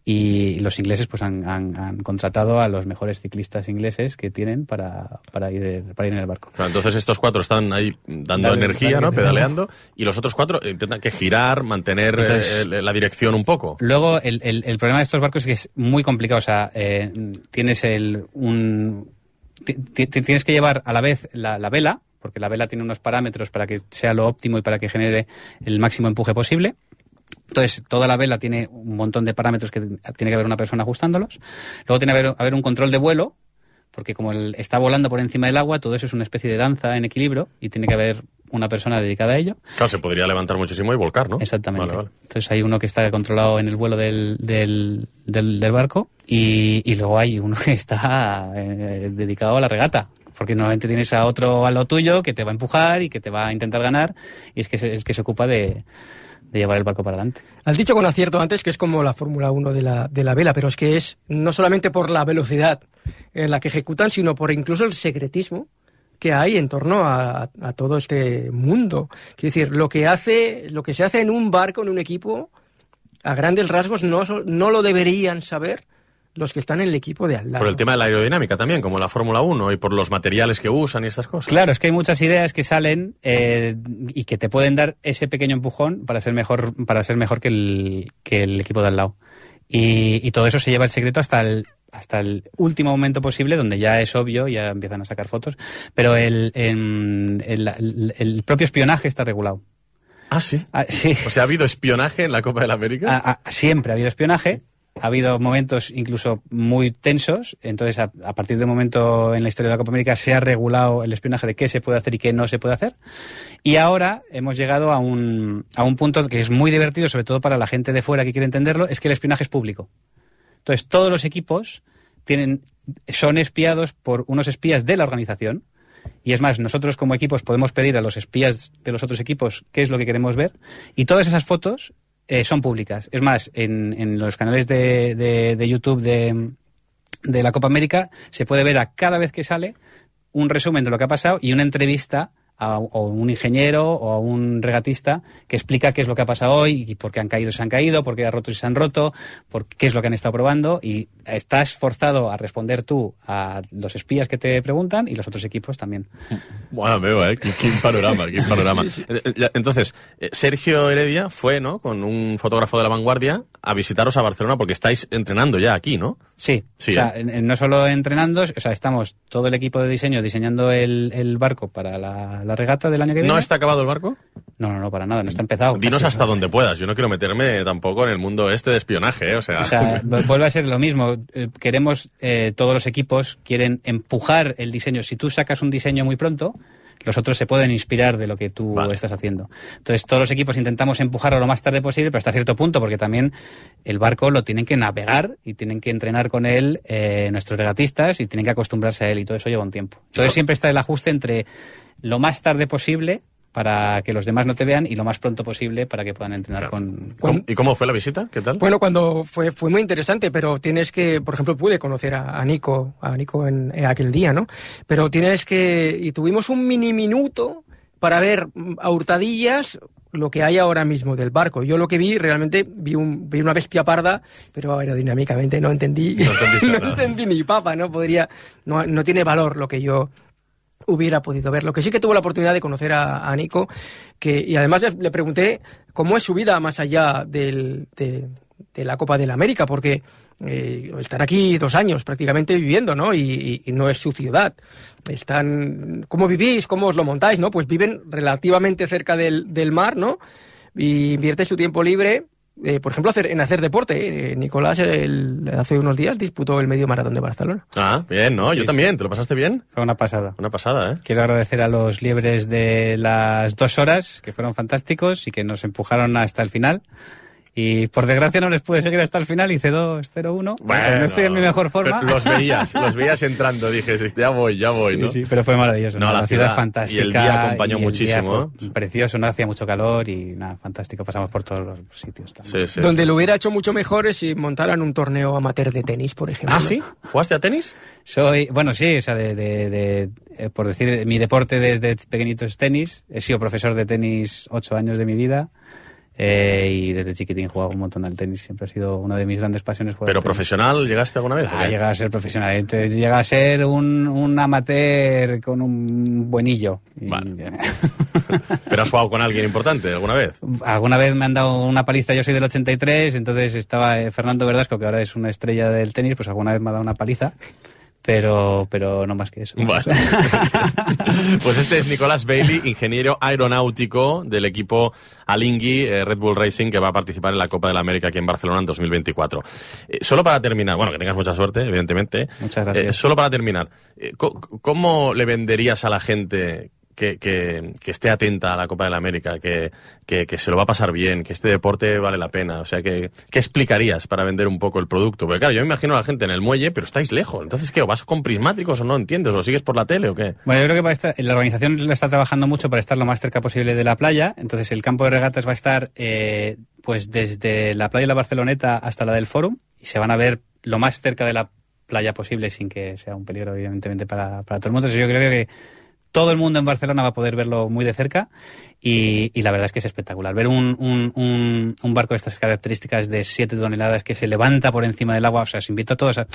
y los ingleses pues han, han, han contratado a los mejores ciclistas ingleses que tienen para, para, ir, para ir en el barco. Claro, entonces estos cuatro están ahí dando Dale, energía, dale, ¿no? dale. Pedaleando. Y los otros cuatro intentan que girar, mantener Entonces, eh, la dirección un poco. Luego, el, el, el problema de estos barcos es que es muy complicado. O sea, eh, tienes el, un... tienes que llevar a la vez la, la vela, porque la vela tiene unos parámetros para que sea lo óptimo y para que genere el máximo empuje posible. Entonces, toda la vela tiene un montón de parámetros que tiene que haber una persona ajustándolos. Luego tiene que haber, haber un control de vuelo, porque como el, está volando por encima del agua, todo eso es una especie de danza en equilibrio y tiene que haber una persona dedicada a ello. Claro, se podría levantar muchísimo y volcar, ¿no? Exactamente. Vale, vale. Entonces hay uno que está controlado en el vuelo del, del, del, del barco y, y luego hay uno que está eh, dedicado a la regata. Porque normalmente tienes a otro a lo tuyo que te va a empujar y que te va a intentar ganar y es que se, es que se ocupa de, de llevar el barco para adelante. Has dicho con acierto antes que es como la Fórmula uno de la, de la vela, pero es que es no solamente por la velocidad en la que ejecutan, sino por incluso el secretismo que hay en torno a, a todo este mundo. Quiero decir, lo que hace, lo que se hace en un barco, en un equipo, a grandes rasgos no, no lo deberían saber los que están en el equipo de al lado. Por el tema de la aerodinámica también, como la Fórmula uno, y por los materiales que usan y estas cosas. Claro, es que hay muchas ideas que salen eh, y que te pueden dar ese pequeño empujón para ser mejor, para ser mejor que el, que el equipo de al lado. Y, y todo eso se lleva el secreto hasta el, hasta el último momento posible, donde ya es obvio, ya empiezan a sacar fotos. Pero el, el, el, el propio espionaje está regulado. Ah, ¿sí? Ah, sí. O sea, ¿ha habido espionaje en la Copa de la América? Ah, ah, siempre ha habido espionaje. Ha habido momentos incluso muy tensos, entonces a, a partir de un momento en la historia de la Copa América se ha regulado el espionaje de qué se puede hacer y qué no se puede hacer. Y ahora hemos llegado a un, a un punto que es muy divertido, sobre todo para la gente de fuera que quiere entenderlo, es que el espionaje es público. Entonces todos los equipos tienen, son espiados por unos espías de la organización. Y es más, nosotros como equipos podemos pedir a los espías de los otros equipos qué es lo que queremos ver. Y todas esas fotos Eh, son públicas. Es más, en, en los canales de, de, de YouTube de, de la Copa América se puede ver a cada vez que sale un resumen de lo que ha pasado y una entrevista a, a un ingeniero o a un regatista que explica qué es lo que ha pasado hoy y por qué han caído se han caído, por qué han roto se han roto, por qué es lo que han estado probando y estás forzado a responder tú a los espías que te preguntan y los otros equipos también. Bueno, veo, ¿eh? Qué panorama, qué panorama. Entonces, Sergio Heredia fue, ¿no?, con un fotógrafo de La Vanguardia a visitaros a Barcelona porque estáis entrenando ya aquí, ¿no? Sí. Sí, o sea, ¿eh? No solo entrenando, o sea, estamos todo el equipo de diseño diseñando el, el barco para la, la regata del año que viene. ¿No está acabado el barco? No, no, no, para nada, no está empezado. Dinos casi, hasta ¿no? donde puedas. Yo no quiero meterme tampoco en el mundo este de espionaje, ¿eh? O sea, o sea vuelve a ser lo mismo. Queremos, eh, todos los equipos quieren empujar el diseño. Si tú sacas un diseño muy pronto, los otros se pueden inspirar de lo que tú vale. estás haciendo. Entonces, todos los equipos intentamos empujarlo lo más tarde posible, pero hasta cierto punto, porque también el barco lo tienen que navegar y tienen que entrenar con él eh, nuestros regatistas y tienen que acostumbrarse a él, y todo eso lleva un tiempo. Entonces, siempre está el ajuste entre lo más tarde posible para que los demás no te vean y lo más pronto posible para que puedan entrenar claro. con, con... ¿Y cómo fue la visita? ¿Qué tal? Bueno, cuando fue fue muy interesante, pero tienes que, por ejemplo, pude conocer a, a Nico, a Nico en, en aquel día, ¿no? Pero tienes que... Y tuvimos un mini minuto para ver a hurtadillas lo que hay ahora mismo del barco. Yo lo que vi, realmente, vi, un, vi una bestia parda, pero aerodinámicamente no entendí, no, no entendí ni papa, ¿no? Podría... No, no tiene valor lo que yo... hubiera podido ver. Lo que sí que tuve la oportunidad de conocer a, a Nico, que, y además le, le pregunté cómo es su vida más allá del, de, de la Copa de la América, porque eh, están aquí dos años prácticamente viviendo, ¿no? Y, y, y no es su ciudad. Están, ¿cómo vivís? ¿Cómo os lo montáis? ¿No? Pues viven relativamente cerca del, del mar, ¿no? Y invierte su tiempo libre, Eh, por ejemplo, hacer, en hacer deporte. Eh, Nicolás el, hace unos días disputó el medio maratón de Barcelona. Ah, bien, ¿no? Sí, Yo también. sí. ¿Te lo pasaste bien? Fue una pasada. Una pasada, ¿eh? Quiero agradecer a los liebres de las dos horas, que fueron fantásticos y que nos empujaron hasta el final. Y por desgracia no les pude seguir hasta el final, hice dos cero uno. Bueno, no estoy en mi mejor forma. Los veías, los veías entrando, dije, ya voy, ya voy, ¿no? Sí, sí, pero fue maravilloso. No, ¿no? la, la ciudad, ciudad fantástica. Y el día acompañó muchísimo. Fue precioso, no hacía mucho calor y nada, fantástico. Pasamos por todos los sitios también. Sí, sí, Donde sí. lo hubiera hecho mucho mejor es si montaran un torneo amateur de tenis, por ejemplo. ¿Ah, sí? ¿Jugaste a tenis? Soy, bueno, sí, o sea, de, de, de, de por decir, mi deporte desde pequeñito es tenis. He sido profesor de tenis ocho años de mi vida. Eh, y desde chiquitín jugaba un montón al tenis, siempre ha sido una de mis grandes pasiones. ¿Pero profesional llegaste alguna vez? Ah, llega a ser profesional, llega a ser un, un amateur con un buenillo. Vale. ¿Pero has jugado con alguien importante alguna vez? Alguna vez me han dado una paliza, yo soy del ochenta y tres, entonces estaba Fernando Verdasco, que ahora es una estrella del tenis, pues alguna vez me ha dado una paliza. Pero, pero no más que eso. Vale. Pues este es Nicolás Bailey, ingeniero aeronáutico del equipo Alinghi eh, Red Bull Racing, que va a participar en la Copa de la América aquí en Barcelona en dos mil veinticuatro. Eh, solo para terminar, bueno, que tengas mucha suerte, evidentemente. Muchas gracias. Eh, solo para terminar, eh, ¿cómo le venderías a la gente que, que, que esté atenta a la Copa de la América, que, que, que se lo va a pasar bien, que este deporte vale la pena? O sea, que, ¿qué explicarías para vender un poco el producto? Porque claro, yo me imagino a la gente en el muelle, pero estáis lejos. Entonces, ¿qué? ¿O vas con prismáticos o no entiendes? ¿O sigues por la tele o qué? Bueno, yo creo que va a estar, la organización está trabajando mucho para estar lo más cerca posible de la playa. Entonces, el campo de regatas va a estar eh, pues desde la playa de la Barceloneta hasta la del Fórum, y se van a ver lo más cerca de la playa posible sin que sea un peligro, evidentemente, para, para todo el mundo. Entonces, yo creo que todo el mundo en Barcelona va a poder verlo muy de cerca y, y la verdad es que es espectacular. Ver un, un, un, un barco de estas características de siete toneladas que se levanta por encima del agua, o sea, os invito a todos a...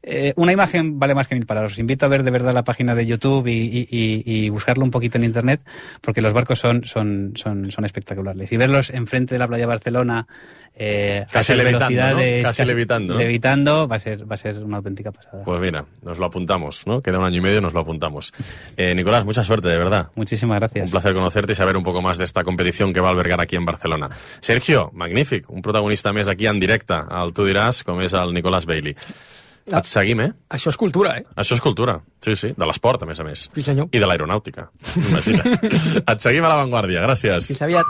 Eh, una imagen vale más que mil palabras. Os invito a ver de verdad la página de YouTube y, y, y, y buscarlo un poquito en internet, porque los barcos son, son, son, son espectaculares. Y verlos enfrente de la playa de Barcelona, eh, casi a levitando, velocidades, ¿no? Casi, casi levitando, ¿no? levitando, va a ser, va a ser una auténtica pasada. Pues mira, nos lo apuntamos, ¿no? Queda un año y medio, nos lo apuntamos. Eh, Nicolás, mucha suerte, de verdad. Muchísimas gracias. Un placer conocerte y saber un poco más de esta competición que va a albergar aquí en Barcelona. Sergio, magnífic, un protagonista més aquí en directe, al Tu diràs, com és el Nicolás Bailey. Et seguim, eh? Això és cultura, eh? Això és cultura, sí, sí, de l'esport, a més a més. Sí, senyor. I de l'aeronàutica, imagina. Et seguim a l'avantguàrdia, gràcies. Fins aviat.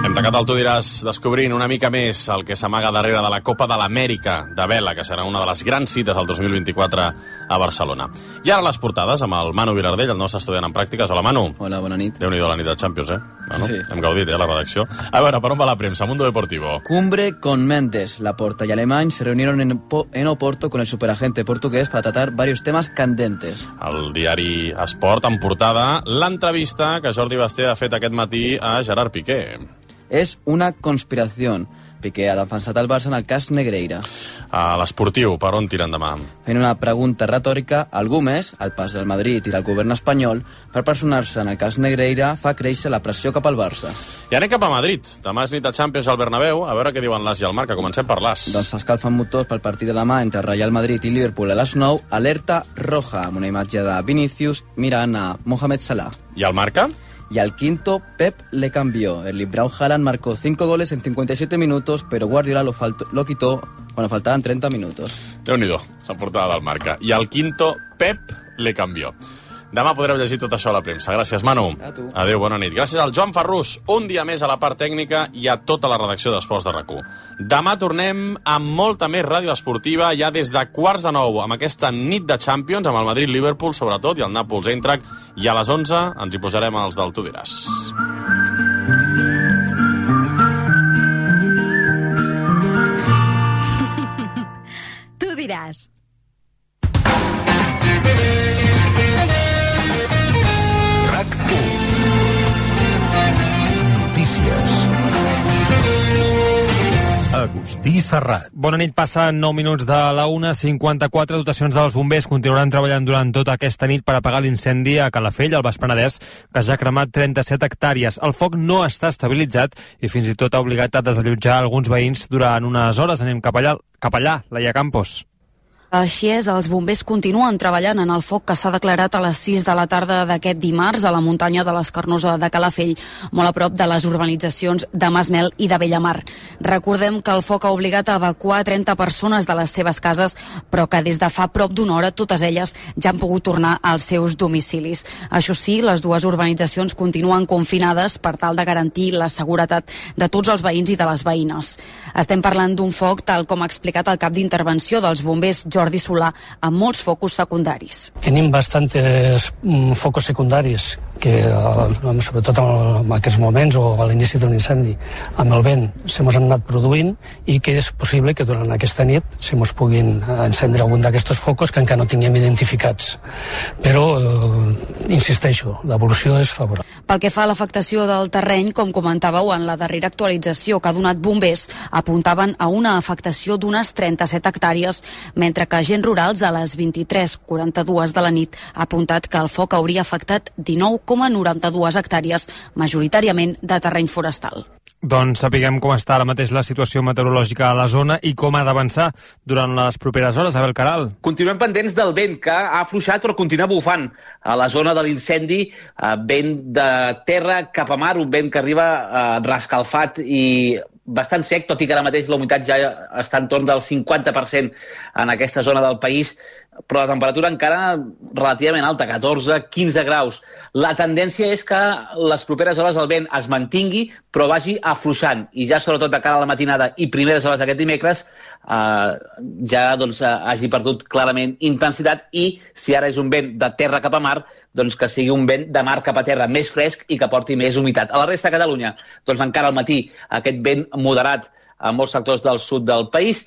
Hem tacat el Tu diràs descobrint una mica més el que s'amaga darrere de la Copa de l'Amèrica de vela, que serà una de les grans cites del dos mil vint-i-quatre a Barcelona. I ara les portades amb el Manu Vilardell, el nostre estudiant en pràctiques. Hola, Manu. Hola, bona nit. Déu-n'hi-do la nit de Champions, eh? Bueno, sí. Hem gaudit, eh, a la redacció. A veure, per on va la premsa? Mundo Deportivo. Cumbre con Mendes. Laporta y Alemany se reunieron en, po en Oporto con el superagente portugués para tratar varios temas candentes. El diari Esport en portada l'entrevista que Jordi Basté ha fet aquest matí a Gerard Piqué. Es una conspiración. Piqué ha defensat el Barça en el cas Negreira. A l'esportiu, per on tiren demà? Fent una pregunta retòrica, algú més, el pas del Madrid i del govern espanyol, per personar-se en el cas Negreira, fa créixer la pressió cap al Barça. I anem cap a Madrid. Demà és nit de Champions al Bernabéu. A veure què diuen l'As i el Marca. Comencem per l'As. Doncs s'escalfen motors pel partit de demà entre Real Madrid i Liverpool a les nou. Alerta roja, amb una imatge de Vinicius mirant a Mohamed Salah. ¿Y al Marca? Y al quinto, Pep le cambió. Erling Braut Haaland marcó cinco goles en cincuenta y siete minutos, pero Guardiola lo, faltó, lo quitó cuando faltaban treinta minutos. Déu-n'hi-do, la portada del Marca. I al quinto, Pep le cambió. Demà podreu llegir tot això a la premsa. Gràcies, Manu. A tu. Adéu, bona nit. Gràcies al Joan Ferrús, un dia més a la part tècnica i a tota la redacció d'Esports de RAC u. Demà tornem amb molta més ràdio esportiva, ja des de quarts de nou, amb aquesta nit de Champions, amb el Madrid-Liverpool, sobretot, i el Nàpols-Eintracht, i a les onze ens hi posarem els del Tu diràs. Tu diràs. Agustí Serrat. Bona nit, passen nou minuts de la una cinquanta-quatre. Dotacions dels bombers continuaran treballant durant tota aquesta nit per apagar l'incendi a Calafell, al Baix Penedès, que ja ha cremat trenta-set hectàrees. El foc no està estabilitzat i fins i tot ha obligat a desallotjar alguns veïns durant unes hores. Anem cap allà, cap allà, Laia Campos. Així és, els bombers continuen treballant en el foc que s'ha declarat a les sis de la tarda d'aquest dimarts a la muntanya de l'Escarnosa de Calafell, molt a prop de les urbanitzacions de Masmel i de Bellamar. Recordem que el foc ha obligat a evacuar trenta persones de les seves cases, però que des de fa prop d'una hora totes elles ja han pogut tornar als seus domicilis. Això sí, les dues urbanitzacions continuen confinades per tal de garantir la seguretat de tots els veïns i de les veïnes. Estem parlant d'un foc, tal com ha explicat el cap d'intervenció dels bombers, Jordi Solà, amb molts focus secundaris. Tenim bastantes mm, focos secundaris que, eh, sobretot en aquests moments o a l'inici d'un incendi, amb el vent se mos han anat produint i que és possible que durant aquesta nit se mos puguin encendre algun d'aquests focos que encara no tinguem identificats. Però, eh, insisteixo, l'evolució és favorable. Pel que fa a l'afectació del terreny, com comentàveu en la darrera actualització que ha donat bombers, apuntaven a una afectació d'unes trenta-set hectàrees, mentre que agents rurals a les vint-i-tres quaranta-dues de la nit ha apuntat que el foc hauria afectat dinou coma noranta-dues hectàrees, majoritàriament de terreny forestal. Doncs sapiguem com està ara mateix la situació meteorològica a la zona i com ha d'avançar durant les properes hores. Abel Caral. Continuem pendents del vent, que ha afluixat però continua bufant a la zona de l'incendi, eh, vent de terra cap a mar, un vent que arriba eh, rascalfat i bastant sec, tot i que ara mateix la humitat ja està en torn del cinquanta per cent en aquesta zona del país, però la temperatura encara relativament alta, catorze a quinze graus. La tendència és que les properes hores el vent es mantingui, però vagi afluixant, i ja sobretot de cara a la matinada i primeres hores d'aquest dimecres eh, ja doncs, hagi perdut clarament intensitat, i si ara és un vent de terra cap a mar, doncs que sigui un vent de mar cap a terra més fresc i que porti més humitat. A la resta de Catalunya, doncs encara al matí aquest vent moderat a molts sectors del sud del país,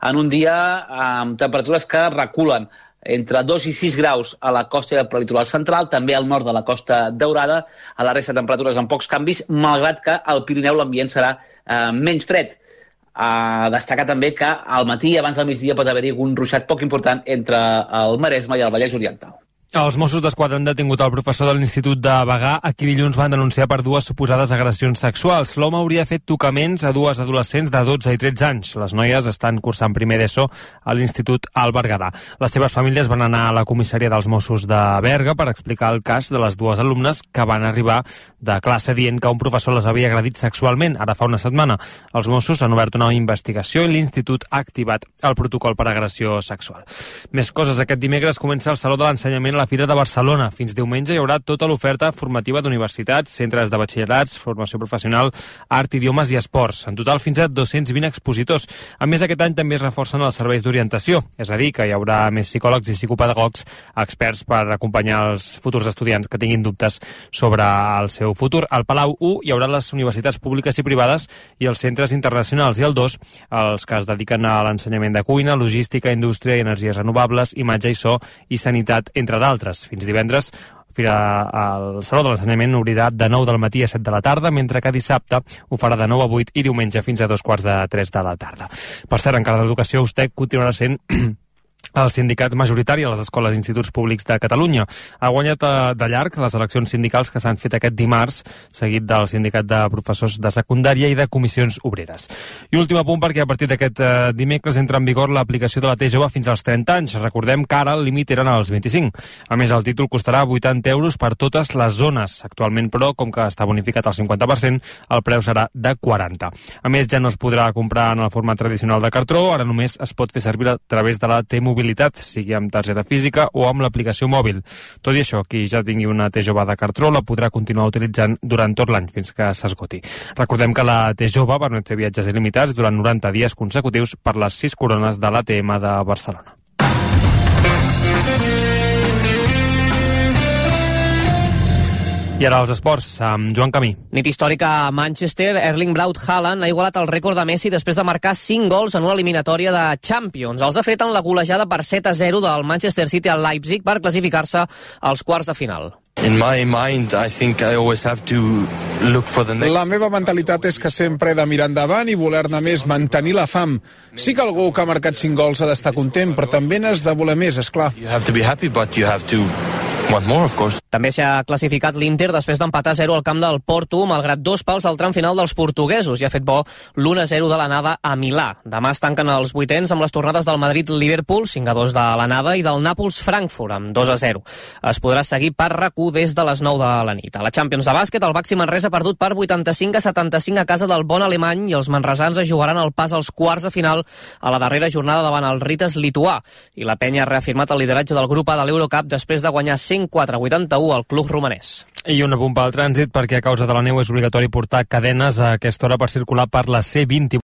en un dia amb temperatures que reculen entre dos i sis graus a la costa i al prelitoral central, també al nord de la Costa Daurada, a la resta de temperatures amb pocs canvis, malgrat que al Pirineu l'ambient serà eh, menys fred. A destacar també que al matí, abans del migdia, pot haver-hi un ruixat poc important entre el Maresme i el Vallès Oriental. Els Mossos d'Esquadra han detingut el professor de l'Institut de Bagà, a qui dilluns van denunciar per dues suposades agressions sexuals. L'home hauria fet tocaments a dues adolescents de dotze i tretze anys. Les noies estan cursant primer d'ESO a l'Institut al Berguedà. Les seves famílies van anar a la comissaria dels Mossos de Berga per explicar el cas de les dues alumnes que van arribar de classe dient que un professor les havia agredit sexualment ara fa una setmana. Els Mossos han obert una investigació i l'Institut ha activat el protocol per agressió sexual. Més coses. Aquest dimecres comença el Saló de l'Ensenyament a la Fira de Barcelona. Fins diumenge hi haurà tota l'oferta formativa d'universitats, centres de batxillerats, formació professional, art, idiomes i esports. En total, fins a dos-cents vint expositors. A més, aquest any també es reforcen els serveis d'orientació, és a dir, que hi haurà més psicòlegs i psicopedagogs experts per acompanyar els futurs estudiants que tinguin dubtes sobre el seu futur. Al Palau u hi haurà les universitats públiques i privades i els centres internacionals, i al dos els que es dediquen a l'ensenyament de cuina, logística, indústria i energies renovables, imatge i so i sanitat, entre d'altres. Fins divendres, Fira, el Saló de l'Ensenyament obrirà de nou del matí a set de la tarda, mentre que dissabte ho farà de nou a vuit i diumenge fins a dos quarts de tres de la tarda. Per cert, encara d'Educació, USTEC continuarà sent el sindicat majoritari a les escoles i instituts públics de Catalunya. Ha guanyat de llarg les eleccions sindicals que s'han fet aquest dimarts, seguit del sindicat de professors de secundària i de comissions obreres. I últim apunt, perquè a partir d'aquest eh, dimecres entra en vigor l'aplicació de la T jove fins als trenta anys. Recordem que ara el límit eren als vint-i-cinc. A més, el títol costarà vuitanta euros per totes les zones. Actualment, però, com que està bonificat al cinquanta per cent, el preu serà de quaranta. A més, ja no es podrà comprar en el format tradicional de cartró, ara només es pot fer servir a través de la T-mobilitat, sigui amb targeta física o amb l'aplicació mòbil. Tot i això, qui ja tingui una T jove de cartró la podrà continuar utilitzant durant tot l'any fins que s'esgoti. Recordem que la T jove permet fer viatges il·limitats durant noranta dies consecutius per les sis corones de l'A T M de Barcelona. I ara els esports, amb Joan Camí. Nit històrica a Manchester, Erling Braut Haaland ha igualat el rècord de Messi després de marcar cinc gols en una eliminatòria de Champions. Els ha fet en la golejada per set a zero del Manchester City al Leipzig per classificar-se als quarts de final. In my mind, I think I always have to look for the next... La meva mentalitat és que sempre he de mirar endavant i voler-ne més, mantenir la fam. Sí que algú que ha marcat cinc gols ha d'estar content, però també n'has de voler més, esclar. You have to be happy, but you have to want more, of course. També s'ha classificat l'Inter després d'empatar a zero al camp del Porto, malgrat dos pals al tram final dels portuguesos, i ha fet bo l'u a zero de l'anada a Milà. Demà es tanquen els vuitens amb les tornades del Madrid-Liverpool, cinc a dos de l'anada, i del Nàpols-Frankfurt, amb dos a zero. Es podrà seguir per R A C U des de les nou de la nit. A la Champions de bàsquet, el Baxi Manresa ha perdut per vuitanta-cinc a setanta-cinc a casa del Bon Alemany, i els manresans es jugaran el pas als quarts de final a la darrera jornada davant el Ritas lituà. I la penya ha reafirmat el lideratge del grup A de l'Eurocup després de guanyar cent quatre a vuitanta-u al club romanès. I una punt pel trànsit, perquè a causa de la neu és obligatori portar cadenes a aquesta hora per circular per la C vint-i-vuit.